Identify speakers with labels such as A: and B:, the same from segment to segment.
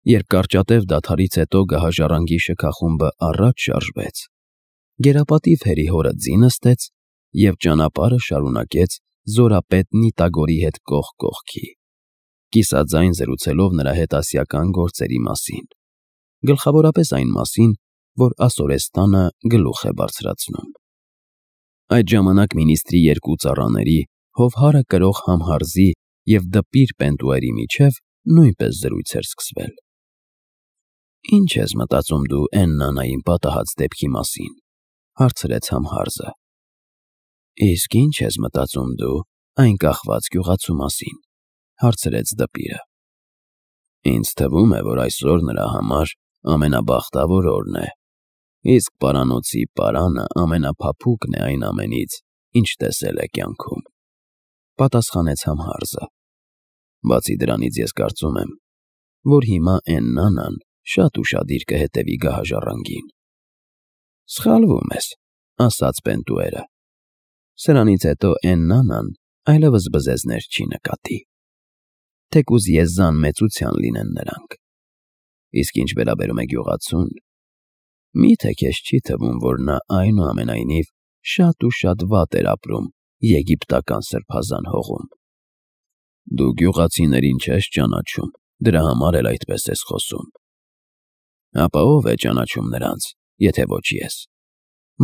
A: Երբ կարճատև դադարից հետո գահաժառանգի շքախումբը առաջ շարժվեց, գերապատիվ հերի հորը ձի նստեց և ճանապարհը շարունակեց զորապետ Նիտագորի հետ կողք կողքի, կիսաձայն զրուցելով նրա հետ ասիական գործերի մասին, գլխավորապես այն մասին, որ Ասորեստանը գլուխ է բարձրացնում։ Այդ ժամանակ մինիստրի երկու ծառաների, Հովհարը կրող Համհարզի և դպիր Պենտուերի միջև նույնպես զրույց էր սկսվել։ «Ինչ ես մտածում դու Էննանային պատահած դեպքի մասին», հարցրեց Համհարզը։ «Իսկ ինչ ես մտածում դու այն կախված գյուղացու մասին», հարցրեց դպիրը։ «Ինձ թվում է, որ այսօր նրա համար ամենաբախտավոր օրն է, իսկ պարանոցի պարանը ամենափափուկն է այն ամենից, ինչ տեսել է կյանքում», պատասխանեց Համհարզը։ «Բացի դրանից ես կարծում եմ, որ հիմա Էննանան շատ ուշադիր կհետևի գահաժառանգին»։ «Սխալվում ես», ասաց Պենտուերը։ «Սրանից հետո Էննանան այլևս բզեզներ չի նկատի, թեկուզ եզան մեծության լինեն նրանք։ Իսկ ինչ վերաբերում է գյուղացուն, մի՞թե քեզ չի թվում, որ նա այնուամենայնիվ շատ ու շատ վատ էր ապրում եգիպտական սրբազան հողում։ Դու գյուղացիներին չես ճանաչում, դրա համար էլ այդպես ես խոսում։ Ապա ո՞վ է ճանաչում նրանց, եթե ոչ ես»,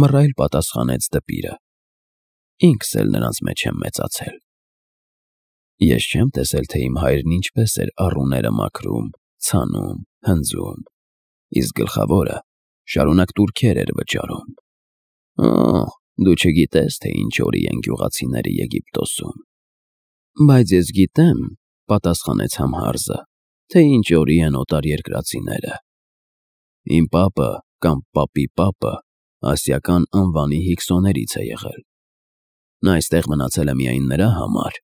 A: մռայլ պատասխանեց դպիրը։ «Ինքս էլ նրանց մեջ եմ մեծացել։ Ես չեմ տեսել, թե իմ հայրն ինչպես էր առուները մաքրում, ցանում, հնձում, իսկ գլխավորը շարունակ տուրքեր էր վճարում։ Օ, դու չգիտես, թե ինչ օրի են գյուղացիները Եգիպտոսում»։ «Բայց ես գիտեմ», պատասխանեց Համհարզը, «թե ինչ օրի են օտարերկրացիները։ Իմ պապը կամ պապի պապը ասիական անվանի հիքսոներից է եղել։ Նա այստեղ մնացել է միայն նրա համար,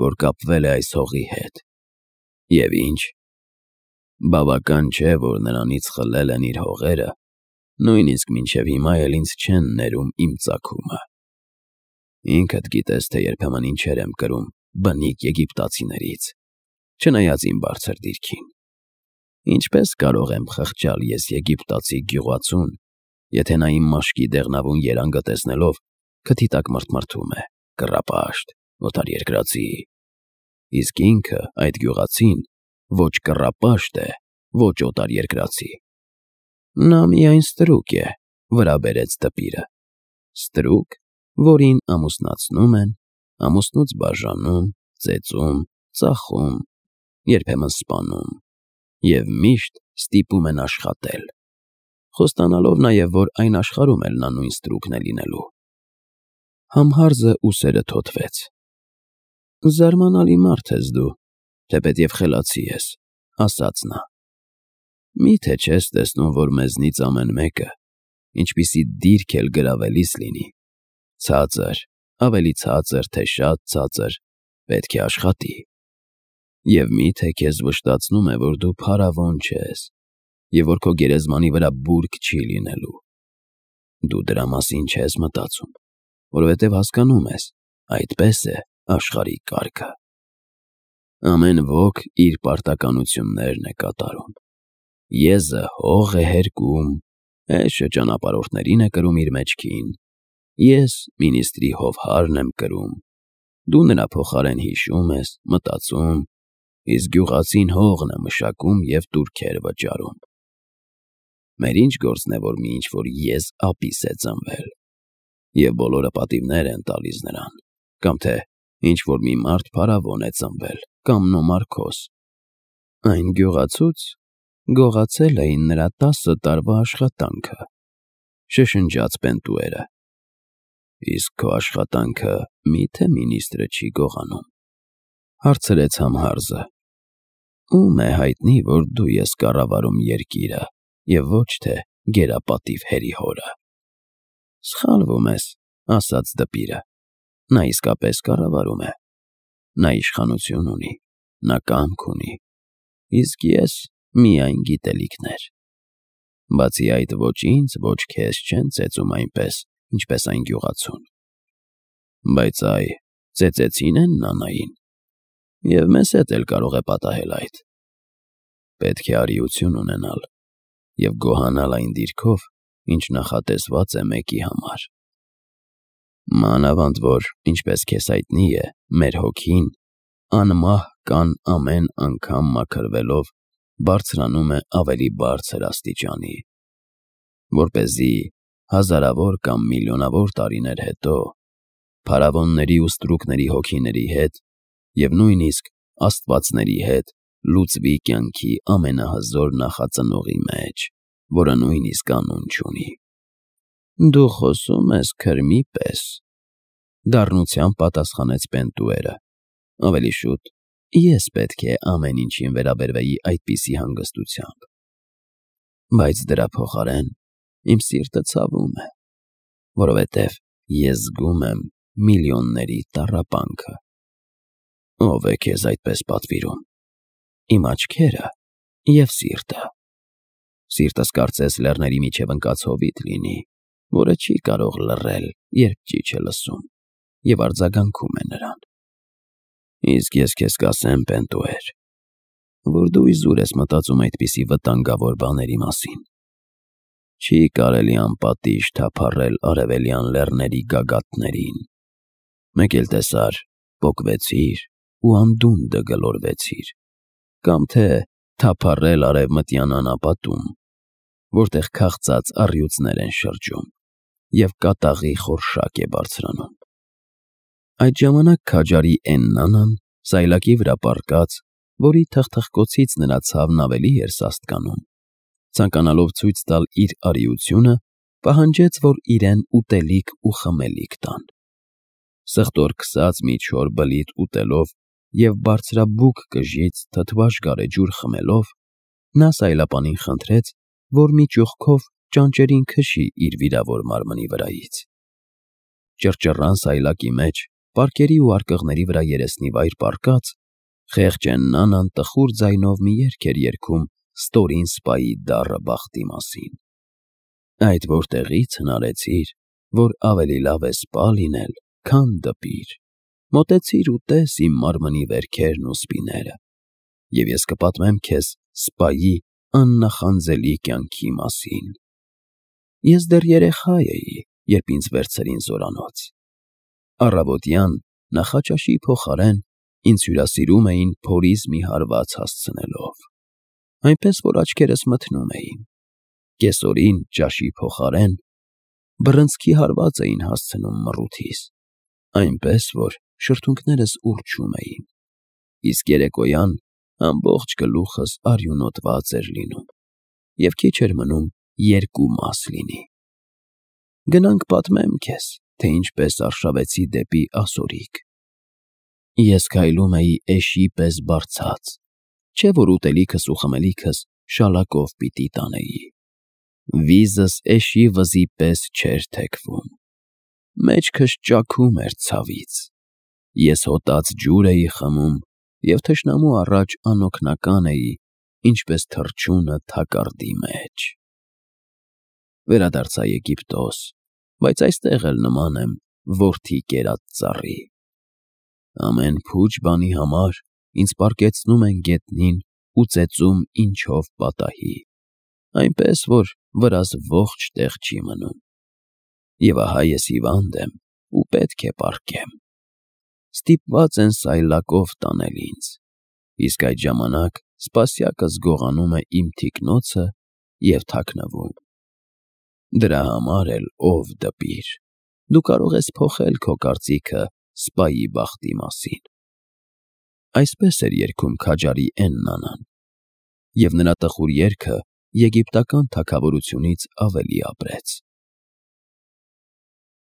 A: որ կապվել է այս հողի հետ։ Եվ ինչ, բավական չէ, որ նրանից խլել են իր հողերը, նույնիսկ մինչև հիմա էլ ինձ չեն ներում իմ ծագումը։ Ինքդ գիտես, թե երբեմն ինչեր եմ կրում բնիկ եգիպտացիներից, չնայած իմ բարձր դիրքին։ Ինչպես կարող եմ խղճալ ես եգիպտացի գյուղացուն, եթե նա իմ մաշկի դեղնավուն երանգը տեսնելով քթի տակ մռթմռթում է, կռապաշտ, օտարերկրացի, իսկ ինքը, այդ գյուղացին, ոչ կռապաշտ է, ոչ օտարերկրացի։ Նա միայն ստրուկ է», վրա բերեց դպիրը։ «Ստրուկ, որին ամուսնացնում են, ամուսնուց բաժանում, ծեծում, ծախում, երբեմն սպանում և միշտ ստիպում են աշխատել, խոստանալով նաև, որ այն աշխարհում էլ նա նույն ստրուկն է լինելու»։ Համհարզը ուսերը թոթվեց։ «Զարմանալի մարդ ես դու, թեպետև խելացի ես», ասաց նա։ «Մի՞թե չես տեսնում, որ մեզնից ամեն մեկը, ինչպիսի դիրք էլ գրավելիս լինի, ցածր, ավելի ցածր, թե շատ ցածր, պետք է աշխատի։ Եվ մի՞թե քեզ վշտացնում է, որ դու փարավոն չես, և որ քո գերեզմանի վրա բուրգ չի լինելու։ Դու դրա մասին չես մտածում, որովհետև հասկանում ես, այդպես է աշխարհի կարգը։ Ամեն ոք իր պարտականություններն է կատարում։ Եզը հող է հերկում, էշը ճանապարհորդներին է կրում իր մեջքին, ես մինիստրի Հովհարն եմ կրում, դու նրա փոխարեն հիշում ես, մտածում, իսկ գյուղացին հողն է մշակում և տուրքեր վճարում։ Մեր ինչ գործն է, որ մի ինչ-որ եզ ապիս է ծնվել, և բոլորը պատիվներ են տալիս նրան, կամ թե ինչ-որ մի մարդ փարավոն է ծնվել, կամ նոմարքոս։ Այն գյուղացուց գողացել էին նրա 10 տարվա աշխատանքը», շշնջաց Պենտուերը։ «Իսկ քո աշխատանքը մի՞թե մինիստրը չի գողանում», հարցրեց Համհարզը։ «Ում է հայտնի, որ դու ես կառավարում երկիրը և ոչ թե գերապատիվ հերի հորը»։ «Սխալվում ես», ասաց դպիրը։ «Նա իսկապես կառավարում է։ Նա իշխանություն ունի, նա կամք ունի, իսկ ես միայն գիտելիքներ։ Բացի այդ, ոչ ինձ, ոչ քեզ չեն ծեծում այնպես, ինչպես այն գյուղացուն։ Բայց այ ծեծեցին Էննանային, և մեզ հետ էլ կարող է պատահել այդ։ պետք է արիություն ունենալ և գոհանալ այն դիրքով, ինչ նախատեսված է մեկի համար։ Մանավանդ որ, ինչպես քեզ հայտնի է, մեր հոգին անմահ կան ամեն անգամ մաքրվելով բարձրանում է ավելի բարձր աստիճանի, որպեսզի հազարավոր կամ միլիոնավոր տարիներ հետո փարավոնների ու ստրուկների հոգիների հետ և նույնիսկ աստվածների հետ լուծվի կյանքի ամենահզոր նախածնողի մեջ, որը նույնիսկ անուն չունի։ Դու խոսում ես քրմի պես, դառնությամբ պատասխանեց Պենտուերը, ավելի շուտ ես պետք է ամեն ինչին վերաբերվեի այդպիսի հանգստությամբ, բայց դրա փոխարեն իմ սիրտը ցավում է, որովհետև ես զգում եմ միլիոնների տառապանքը։ Ո՞վ է քեզ այդպես պատվիրում։ Իմ աչքերը և սիրտը։ Սիրտս կարծես լեռների միջև ընկած հովիտ լինի, որը չի կարող լռել, երբ ճիչ է լսում, և արձագանքում է նրան։ Իսկ ես քեզ կասեմ, Պենտուեր, որ դու իզուր ես մտածում այդպիսի վտանգավոր բաների մասին։ Չի կարելի անպատիժ թափառել արևելյան լեռների գագաթներին։ Մեկ էլ տեսար, պոկվեցիր ու անդունդը գլորվեցիր, կամ թե թափառել արևմտյան անապատում, որտեղ քաղցած առյուծներ են շրջում և կատաղի խորշակ է բարձրանում։ Այդ ժամանակ քաջարի Էննան, սայլակի վրա պառկած, որի թխթխկոցից նրա ցավն ավելի էր սաստկանում, ցանկանալով ցույց տալ իր արիությունը, պահանջեց, որ իրեն ուտելիք ու խմելիք տան։ Սխտորքսած մի չոր բլիթ ուտելով և բարձրաբուկ կժից թթվաշ գարեջուր խմելով, նա սայլապանին խնդրեց, որ մի ճուղքով ճանճերին քշի իր վիրավոր մարմնի վրայից։ Ճռճռան սայլակի մեջ, պարկերի ու արկղների վրա երեսնիվայր պառկած, խեղճ Էննան տխուր ձայնով մի երգ էր երգում ստորին սպայի դառը բախտի մասին։ Այդ որտեղի՞ց հնարեցիր, որ ավելի լավ է սպա լինել, քան դպիր։ Մոտեցիր ու տես իմ մարմնի վերքերն ու սպիները, և ես կպատմեմ քեզ սպայի աննախանձելի կյանքի մասին։ Ես դեռ երեխա էի, երբ ինձ վերցրին զորանոց։ Առավոտյան նախաճաշի փոխարեն ինձ հյուրասիրում էին փորից մի հարված հասցնելով, այնպես որ աչքերս մթնում էին։ Կեսօրին ճաշի փոխարեն բռնցքի հարված էին հասցնում մռութիս, այնպես որ շրթունքներս ուռչում էին, իսկ երեկոյան ամբողջ գլուխս արյունոտված էր լինում, և քիչ էր մնում երկու մաս լինի։ Գնանք պատմեմ քեզ, թե ինչպես արշավեցի դեպի ասորիք։ Ես քայլում էի էշի պես բարձած, չէ որ ուտելիքս ու խմելիքս շալակով պիտի տանեի։ Վիզս էշի վզի պես չէր թեքվում։ Մեջքս ճաքում էր ցավից։ Ես հոտած ջուր էի խմում և թշնամու առաջ անօգնական էի, ինչպես թռչունը թակարդի մեջ։ Վերադարձա Եգիպտոս, բայց այստեղ էլ նման եմ որդի կերած ծառի։ Ամեն փուչ բանի համար ինձ պառկեցնում են գետնին ու ծեծում ինչով պատահի, այնպես որ վրաս ողջ տեղ չի մնում։ Եվ ահա ես հիվանդ եմ ու պետք է պառկեմ։ Ստիպված են սայլակով տանել ինձ, իսկ այդ ժամանակ սպասյակս գողանում է իմ թիկնոցը և թաքնվում։ Դրա համար էլ, ով դպիր, դու կարող ես փոխել քո կարծիքը սպայի բախտի մասին։ Այսպես էր երգում քաջարի Էննան, և նրա տխուր երգը եգիպտական թագավորությունից ավելի ապրեց։